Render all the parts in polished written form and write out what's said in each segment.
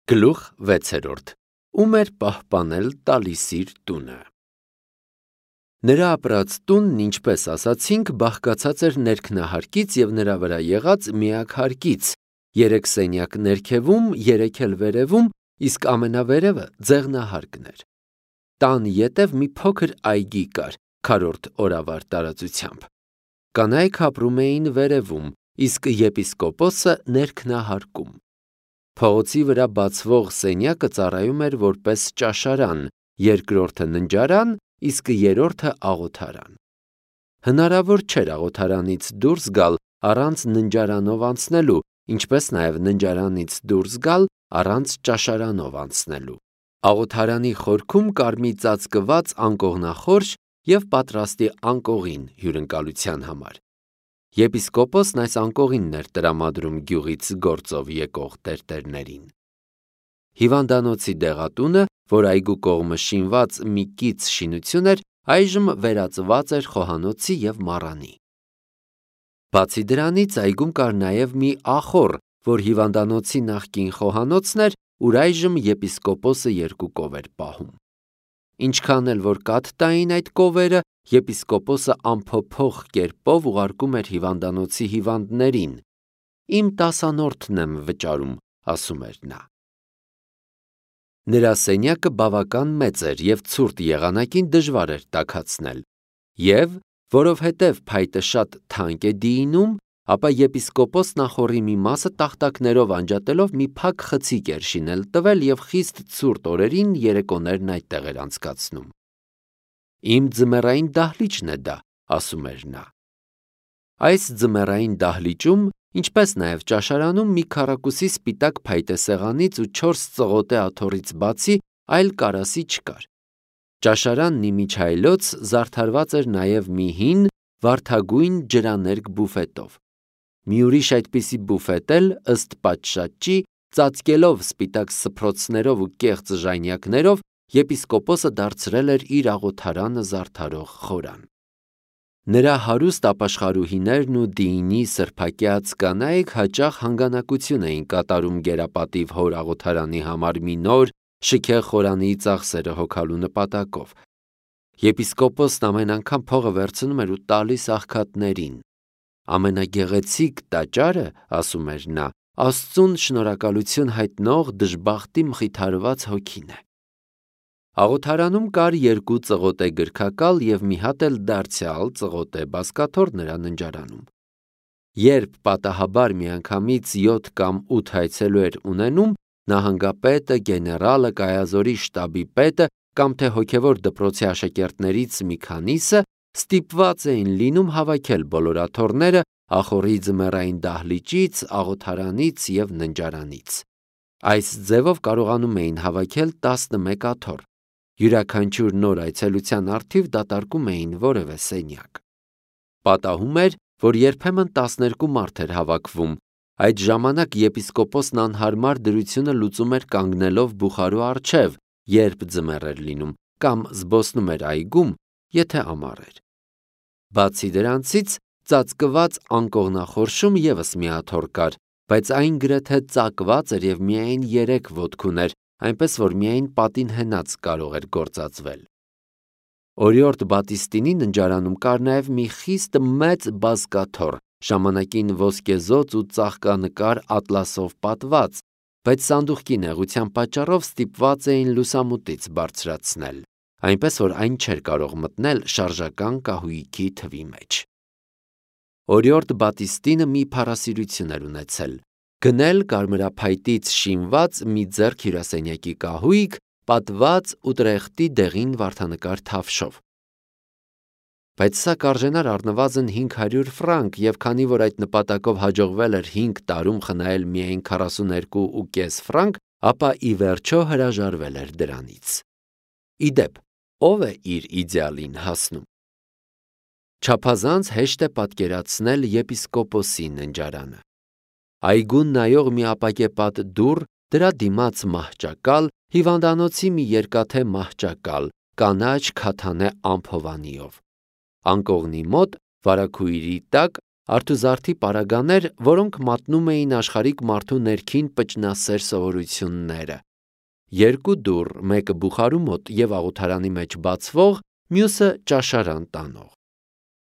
Գլուխ 6. Ում էր պահպանել տալիսիր տունը։ Նրա ապրած տունն, ինչպես ասացինք, բաղկացած էր ներքնահարկից և նրա վրա եղած միակ հարկից, 3 սենյակ ներքևում, 3 էլ վերևում, իսկ ամենավերևը ձեղնահարկն էր։ Տան ետև մի փոքր այգի կար, քառորդ օրավար տարածությամբ։ Կանայք ապրում էին վերևում, իսկ եպիսկոպոսը ներքնահարկում։ Փողոցի վրա բացվող սենյակը ծառայում էր որպես ճաշարան, երկրորդը ննջարան, իսկ երրորդը աղոթարան։ Հնարավոր չէր աղոթարանից դուրս գալ առանց ննջարանով անցնելու, ինչպես նաև ննջարանից դուրս գալ առանց ճաշարանով անցնելու։ Աղոթարանի խորքում կար մի ծածկված անկողնախորշ և պատրաստի անկողին հյուրընկալության համար։ Եպիսկոպոսն այս անկողինն էր տրամադրում գյուղից գործով եկող տերտերներին։ Հիվանդանոցի դեղատունը, որ այգու կողմը շինված մի կից շինություն էր, այժմ վերածված էր խոհանոցի և մառանի։ Բացի դրանից, այգում կար նաև մի ախոռ, որ հիվանդանոցի նախկին խոհանոցն էր, ուր այժմ եպիսկոպոսը 2 կով էր պահում։ Ինչքան էլ որ կաթ տային այդ կովերը, եպիսկոպոսը անփոփոխ կերպով ուղարկում էր հիվանդանոցի հիվանդներին։ «Իմ 10-րդն եմ վճարում», ասում էր նա։ Նրա սենյակը բավական մեծ էր և ցուրտ եղանակին դժվար էր տաքացնել։ Եվ, որովհետև փայտը շատ թանկ է դիինում, ապա եպիսկոպոսն ախոռի մի մասը տախտակներով անջատելով մի փակ խցիկ էր շինել տվել և խիստ ցուրտ օրերին երեկոներն այդտեղ էր անցկացնում։ «Իմ ձմեռային դահլիճն է դա», ասում էր նա։ Այս ձմեռային դահլիճում, ինչպես նաև ճաշարանում, մի քառակուսի սպիտակ փայտե սեղանից ու 4 ծղոտե աթոռից բացի այլ կարասի չկար։ Ճաշարանն իմիջայլոց զարդարված էր նաև մի հին, վարդագույն ջրաներկ բուֆետով։ Մի ուրիշ այդպիսի բուֆետ էլ, ըստ պատշաճի, ծածկելով սպիտակ սփռոցներով ու կեղծ ժանյակներով, եպիսկոպոսը դարձրել էր իր աղոթարանը զարդարող խորան։ Նրա հարուստ ապաշխարուհիներն ու դիինի սրբակյաց կանայք հաճախ հանգանակություն էին կատարում գերապատիվ հոր աղոթարանի համար մի նոր, շքեղ խորանի ծախսերը հոգալու նպատակով։ Եպիսկոպոսն ամեն անգամ փողը վերցնում էր ու տալիս աղքատներին։ «Ամենագեղեցիկ տաճարը, ասում էր նա, Աստծուն շնորհակալություն հայտնող դժբախտի մխիթարված հոգին է»։ Աղոթարանում կար 2 ծղոտե գրքակալ և մի հատ էլ դարձյալ ծղոտե բազկաթոռ նրա ննջարանում։ Երբ պատահաբար միանգամից 7 կամ 8 այցելու էր ունենում, նահանգապետը, գեներալը, կայազորի շտաբի պետը կամ թե հոգևոր դպրոցի աշակերտներից մի քանիսը ստիպված էին լինում հավաքել բոլոր աթոռները ախոռի ձմեռային դահլիճից, աղոթարանից և ննջարանից։ Այս ձևով կարողանում էին հավաքել 11 աթոռ։ Յուրաքանչյուր նոր այցելության առթիվ դատարկում էին որևէ սենյակ։ Պատահում էր, որ երբեմն 12 մարդ էր հավաքվում։ Այդ ժամանակ եպիսկոպոսն անհարմար դրությունը լուծում էր կանգնելով բուխարու առջև, երբ ձմեռ էր լինում, կամ զբոսնում էր այգում, եթե ամառ էր։ Բացի դրանցից, ծածկված անկողնախորշում ևս մի աթոռ կար, բայց այն գրեթե ծակված էր և միայն 3 ոտք ուներ, այնպես որ միայն պատին հենած կարող էր գործածվել։ Օրիորդ Բատիստինի ննջարանում կար նաև մի խիստ մեծ բազկաթոռ, ժամանակին ոսկեզոծ ու ծաղկանկար ատլասով պատված, բայց սանդուղքի նեղության պատճառով ստիպված էին լուսամուտից բարձրացնել, այնպես որ այն չէր կարող մտնել շարժական կահույքի թվի մեջ։ Օրիորդ Բատիստինը մի փառասիրություն էր ունեցել՝ գնել կարմրափայտից շինված մի ձեռք հյուրասենյակի կահույք, պատված Ուտրեխտի դեղին վարդանկար թավշով։ Բայց սա կարժենար առնվազն 500 ֆրանկ, և քանի որ այդ նպատակով հաջողվել էր 5 տարում խնայել միայն 42.5 ֆրանկ, ապա ի վերջո հրաժարվել էր դրանից։ Ի դեպ, ո՞վ է իր իդեալին հասնում։ Չափազանց հեշտ է պատկերացնել եպիսկոպոսի ննջարանը։ Այգուն նայող մի ապակեպատ դուռ, դրա դիմաց մահճակալ, հիվանդանոցի մի երկաթե մահճակալ, կանաչ քաթանե ամփովանիով։ Անկողնի մոտ, վարագույրի տակ, արթուզարդի պարագաներ, որոնք մատնում էին աշխարհիկ մարդու ներքին պճնասեր սովորությունները։ Երկու դուռ, մեկը բուխարու մոտ և աղոթարանի մեջ բացվող, մյուսը ճաշարան տանող։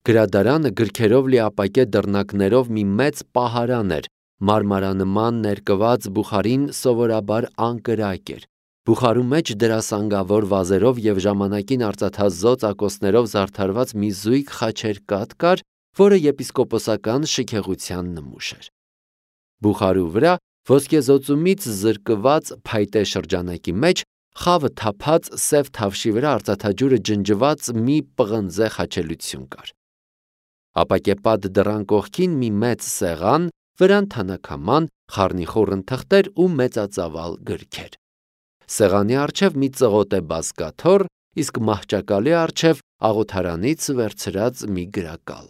Գրադարանը գրքերով լի ապակե դռնակներով մի մեծ պահարան էր, մարմարանման ներկված բուխարին սովորաբար անկրակ էր։ Բուխարու մեջ դրասանգավոր վազերով և ժամանակին արծաթազօծ ակոսներով զարդարված մի զույգ խաչերկատ կար, որը եպիսկոպոսական շքեղության նմուշ էր։ Բուխարու վրա ոսկեզօծումից զրկված փայտե շրջանակի մեջ խավը թափած սև թավշի վրա արծաթաջուրը ջնջված մի պղնձե խաչելություն կար։ Ապակեպատ դռան կողքին մի մեծ սեղան, վրան թանաքաման, խառնիխուռն թղթեր ու մեծածավալ գրքեր։ Սեղանի առջև մի ծղոտե բազկաթոռ, իսկ մահճակալի առջև աղոթարանից վերցրած մի գրակալ։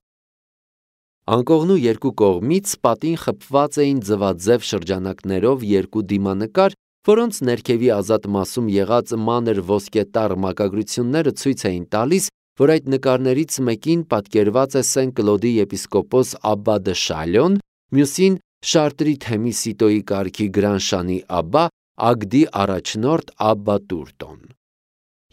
Անկողնու երկու կողմից պատին խփված էին ձվաձև շրջանակներով երկու դիմանկար, որոնց ներքևի ազատ մասում եղած մանր ոսկետառ մակագրությունները ցույց էին տալիս, որ այդ նկարներից մեկին պատկերված է Սեն Կլոդի եպիսկոպոս Աբբա դը Շալյոն, մյուսին Շարտրի թեմի Սիտոյի կարգի Գրանշանի Աբբա, Ագդի առաջնորդ Աբբա Տուրտոն։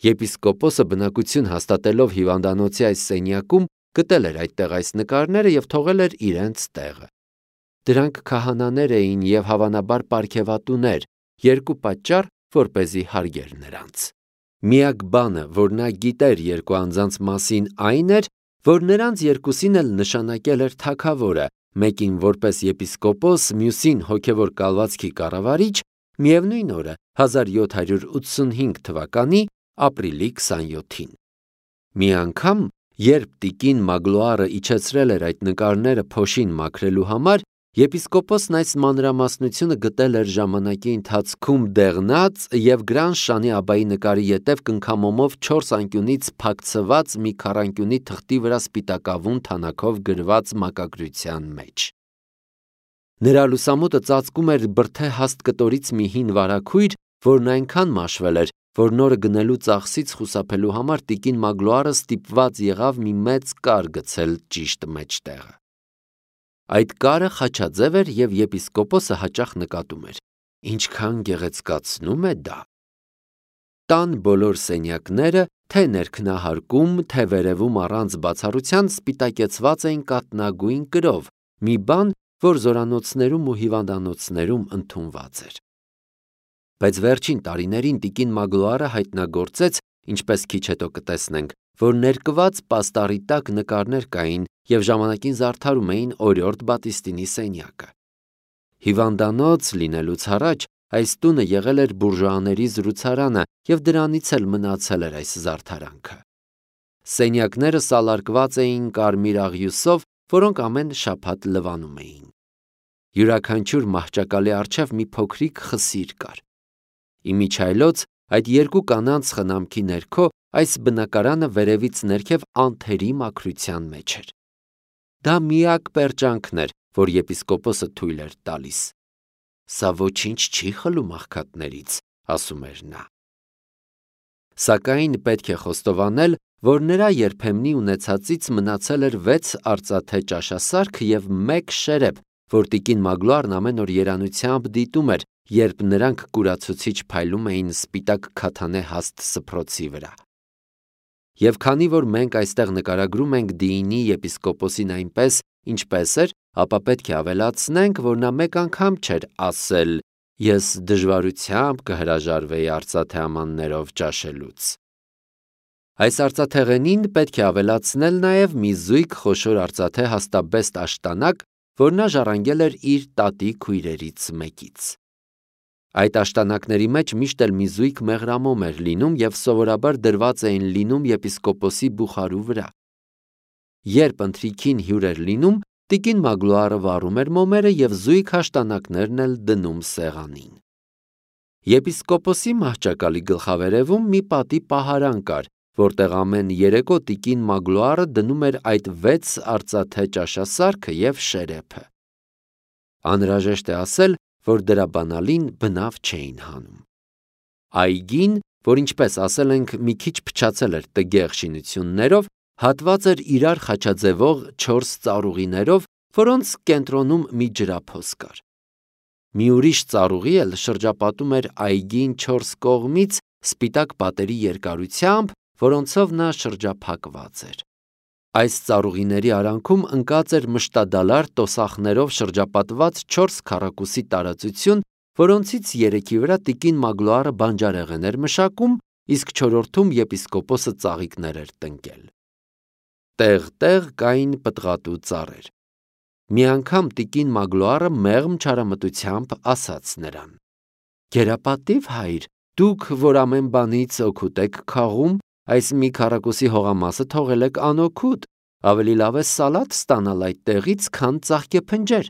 Եպիսկոպոսը բնակություն հաստատելով հիվանդանոցի այս սենյակում գտել էր այդտեղ այս նկարները և թողել էր իրենց տեղը։ Դրանք քահանաներ էին և հավանաբար պարգևատուներ, երկու պատճառ, որպեսզի հարգեր նրանց։ Միակ բանը, որ նա գիտեր երկու անձանց մասին, այն էր, որ նրանց երկուսին էլ նշանակել էր թագավորը, մեկին որպես եպիսկոպոս, մյուսին հոգևոր կալվածքի կառավարիչ, միևնույն օրը 1785 թվականի ապրիլի 27-ին։ Մի անգամ, երբ տիկին Մագլոարը իջեցրել էր այդ նկարները փոշին մաքրելու համար, եպիսկոպոսն այս մանրամասնությունը գտել էր ժամանակի ընթացքում դեղնած և Գրանշանի Աբբայի նկարի ետև կնքամոմով 4 անկյունից փակցված մի քառանկյունի թղթի վրա սպիտակավուն թանաքով գրված մակագրության մեջ։ Նրա լուսամուտը ծածկում էր բրդե հաստ կտորից մի հին վարագույր, որն այնքան մաշվել էր, որ նորը գնելու ծախսից խուսափելու համար տիկին Մագլոարը ստիպված եղավ մի մեծ կար գցել ճիշտ մեջտեղը։ Այդ կարը խաչաձև էր և եպիսկոպոսը հաճախ նկատում էր. ինչքան գեղեցկացնում է դա։ Տան բոլոր սենյակները, թե ներքնահարկում, թե վերևում առանց բացառության սպիտակեցված էին կաթնագույն կրով, մի բան, որ զորանոցներում ու հիվանդանոցներում ընդունված էր։ Բայց վերջին տարիներին տիկին Մագլոարը հայտնագործեց, ինչպես քիչ հետո կտեսնենք, որ ներկված պաստառի տակ նկարներ կային և ժամանակին զարդարում էին օրիորդ Բատիստինի սենյակը։ Հիվանդանոց լինելուց առաջ այս տունը եղել էր բուրժուաների զրուցարանը և դրանից էլ մնացել էր այս զարդարանքը։ Սենյակները սալարկված էին կարմիր աղյուսով, որոնք ամեն շաբաթ լվանում էին։ Յուրաքանչյուր մահճակալի առջև մի փոքրիկ խսիր կար։ Իմիջիայլոց այդ երկու կանանց խնամքի ներքո այս բնակարանը վերևից ներքև անթերի մաքրության մեջ էր։ Դա միակ պերճանքն էր, որ եպիսկոպոսը թույլ էր տալիս։ Սա ոչինչ չի խլում աղքատներից, ասում էր նա։ Սակայն պետք է խոստովանել, որ նրա երբեմնի ունեցածից մնացել էր 6 արծաթե ճաշասարք և 1 շերեփ, որ տիկին Մագլոարն ամեն օր երանությամբ դիտում էր, երբ նրանք կուրացուցիչ փայլում էին սպիտակ քաթանե հաստ սփռոցի վրա։ Եվ քանի որ մենք այստեղ նկարագրում ենք Դիինի եպիսկոպոսին այնպես, ինչպես էր, ապա պետք է ավելացնենք, որ նա մեկ անգամ չէր ասել. «Ես դժվարությամբ կհրաժարվեի արծաթե ամաններով ճաշելուց»։ Այս արծաթեղենին պետք է ավելացնել նաև մի զույգ խոշոր արծաթե հաստաբեստ աշտանակ, որ նա ժառանգել էր իր տատի քույրերից մեկից։ Այդ աշտանակների մեջ միշտ էլ մի զույգ մեղրամոմ էր լինում և սովորաբար դրված էին լինում եպիսկոպոսի բուխարու վրա։ Երբ ընթրիքին հյուր էր լինում, տիկին Մագլոարը վառում էր մոմերը և զույգ աշտանակներն էլ դնում սեղանին։ Եպիսկոպոսի մահճակալի գլխավերևում մի պատի պահարան կար, որտեղ ամեն երեկո տիկին Մագլոարը դնում էր այդ 6 արծաթե ճաշասարքը և շերեփը։ Անհրաժեշտ է ասել, որ դրա բանալին բնավ չէին հանում։ Այգին, որ ինչպես ասել ենք, մի քիչ փչացել էր տգեղ շինություններով, հատված էր իրար խաչաձևող 4 ծառուղիներով որոնց կենտրոնում մի ջրափոս կար։ Մի ուրիշ ծառուղի էլ շրջապատում էր այգին 4 կողմից սպիտակ պատերի երկարությամբ, որոնցով նա շրջափակված էր։ Այս ծառուղիների արանքում ընկած էր մշտադալար տոսախներով շրջապատված 4 քառակուսի տարածություն, որոնցից 3-ի վրա տիկին Մագլոարը բանջարեղեն էր մշակում, իսկ 4-րդում եպիսկոպոսը ծաղիկներ էր տնկել։ Տեղ-տեղ կային պտղատու ծառեր։ Մի անգամ տիկին Մագլոարը մեղմ չարամտությամբ ասաց նրան. «Գերապատիվ հայր, դուք, որ ամեն բանից օգուտ եք քաղում, այս մի քառակուսի հողամասը թողել եք անօգուտ, ավելի լավ է սալատ ստանալ այդ տեղից, քան ծաղկեփնջեր»։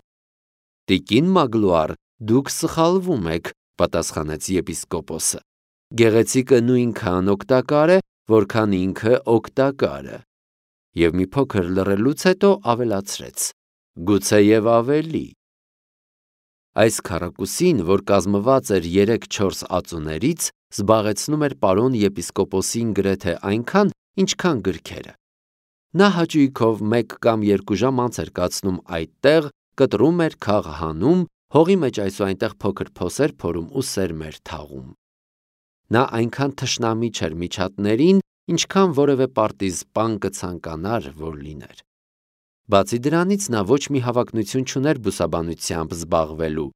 Տիկին Մագլոար, դուք սխալվում եք, պատասխանեց եպիսկոպոսը։ Գեղեցիկը նույնքան օգտակար է, որքան ինքը օգտակար է։ Եվ մի փոքր լռելուց հետո ավելացրեց. գուցեև ավելի։ Այս քառակուսին, որ կազմված էր 3-4 ածուներից, զբաղեցնում էր պարոն եպիսկոպոսին գրեթե այնքան, ինչքան գրքերը։ Նա հաճույքով 1 կամ 2 ժամ անց էր կացնում այդտեղ, կտրում էր, քաղ հանում, հողի մեջ այսուայնտեղ փոքր փոսեր փորում ու սերմեր թաղում։ Նա այնքան թշնամի չէր միջատներին, ինչքան որևէ պարտիզպան կցանկանար, որ լիներ։ Բացի դրանից նա ոչ մի հավակնություն չուներ բուսաբանությամբ զբաղվելու։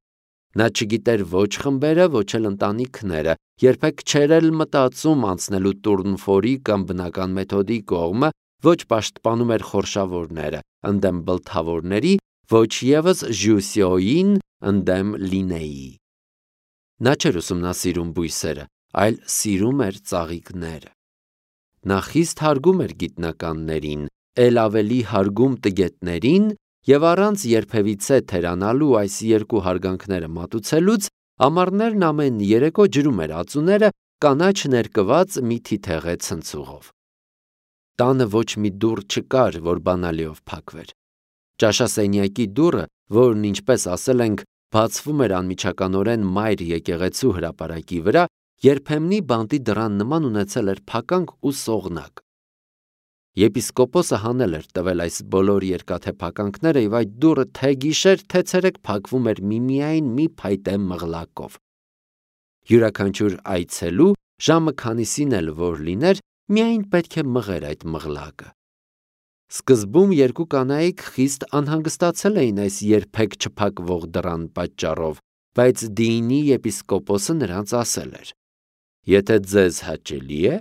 Նա չգիտեր ոչ խմբերը, ոչ էլ ընտանիքները, երբեք չէր էլ մտածում անցնելու տուրնֆորի կամ բնական մեթոդի կողմը, ոչ պաշտպանում էր խորշավորները, ընդդեմ բլթավորների, ոչ ևս Ժյուսիոյին, ընդդեմ Լինեի։ Նա չէր ուսումնասիրում բույսերը, այլ սիրում էր ծաղիկները։ Նա խիստ հարգում էր գիտնականներին, էլ ավելի հարգում տգետներին, եւ առանց երբևիցե թերանալու այս երկու հարգանքները մատուցելուց ամառներն ամեն երեկո ջրում էր ածուները կանաչ ներկված մի թիթեղե ցնցուղով։ Տանը ոչ մի դուռ չկար, որ բանալիով փակվեր։ Ճաշասենյակի դուռը, որն ինչպես ասել ենք, բացվում էր անմիջականորեն մայր եկեղեցու հրապարակի վրա, երբեմնի բանտի դռան նման ունեցել էր փականք ու սողնակ։ Եպիսկոպոսը հանել էր տվել այս բոլոր երկաթե փականքները եւ այդ դուռը թե գիշեր, թե ցերեկ փակվում էր միմիայն մի փայտե մղլակով։ Յուրաքանչյուր այցելու ժամը քանիսին էլ որ լիներ, միայն պետք է մղեր այդ մղլակը։ Սկզբում երկու կանայք խիստ անհանգստացել էին այս երբեք չփակվող դռան պատճառով, բայց Դիինի եպիսկոպոսը նրանց ասել էր. «Եթե ձեզ հաճելի է,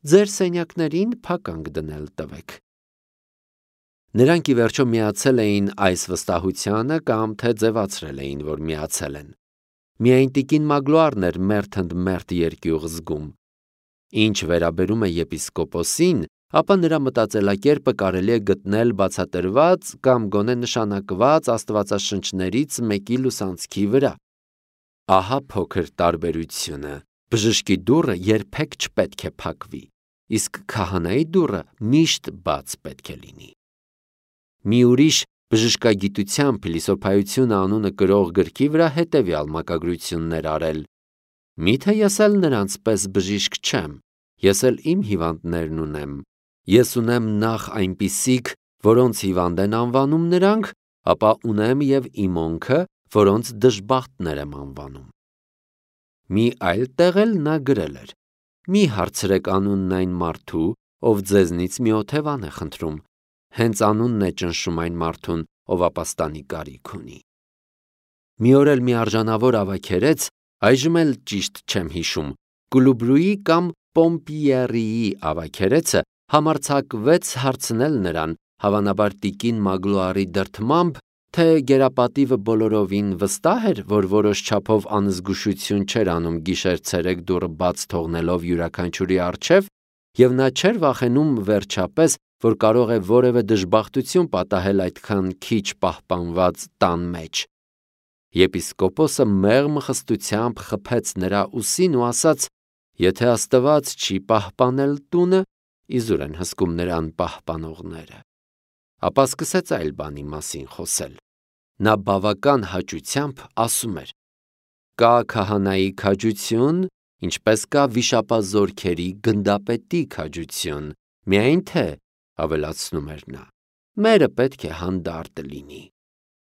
ձեր սենյակներին փականք դնել տվեք»։ Նրանք ի վերջո միացել էին այս վստահությանը կամ թե ձևացրել էին, որ միացել են։ Միայն տիկին Մագլոարն էր մերթընդմերթ երկյուղ զգում։ Ինչ վերաբերում է եպիսկոպոսին, ապա նրա մտածելակերպը կարելի է գտնել բացատրված կամ գոնե նշանակված աստվածաշնչներից մեկի լուսանցքի վրա։ Ահա փոքր տարբերությունը։ Բժշկի դուռը երբեք չպետք է փակվի, իսկ քահանայի դուռը միշտ բաց պետք է լինի։ Մի ուրիշ բժշկագիտության փիլիսոփայությունը անունը կրող գրքի վրա հետևյալ մակագրություններ արել. Միթե ես էլ նրանց պես բժիշկ չեմ, ես էլ իմ հիվանդներն ունեմ։ Ես ունեմ նախ այնպիսիք, որոնց հիվանդ են անվանում նրանք, ապա ունեմ եւ իմոնքը, որոնց դժբախտներ եմ անվանում։ Մի այլ տեղ էլ նա գրել էր. մի հարցրեք անունն այն մարդու, ով ձեզնից մի օթևան է խնդրում, հենց անունն է ճնշում այն մարդուն, ով ապաստանի կարիք ունի։ Մի օր էլ մի արժանավոր ավագերեց, այժմ էլ ճիշտ չեմ հիշում, Կուլուբրուի կամ Պոմպիերիի ավագերեցը համարձակվեց հարցնել նրան, հավանաբար տիկին Մագլոարի դրդմամբ, թե գերապատիվը բոլորովին վստահ էր, որ որոշ չափով անզգուշություն չէր անում գիշեր-ցերեկ դուռը բաց թողնելով յուրաքանչյուրի առջև, եւ նա չէր վախենում վերջապես, որ կարող է որևէ դժբախտություն պատահել այդքան քիչ պահպանված տան մեջ։ Եպիսկոպոսը մեղմ խստությամբ խփեց նրա ուսին ու ասաց. «Եթե Աստված չի պահպանել տունը, իզուր են հսկում նրան պահպանողները»։ Ապա սկսեց այլ բանի մասին խոսել։ Նա բավական հաճությամբ ասում էր. «Կա քահանայի քաջություն, ինչպես կա վիշապազորքերի գնդապետի քաջություն, միայն թե», ավելացնում էր նա, «մերը պետք է հանդարտ լինի»։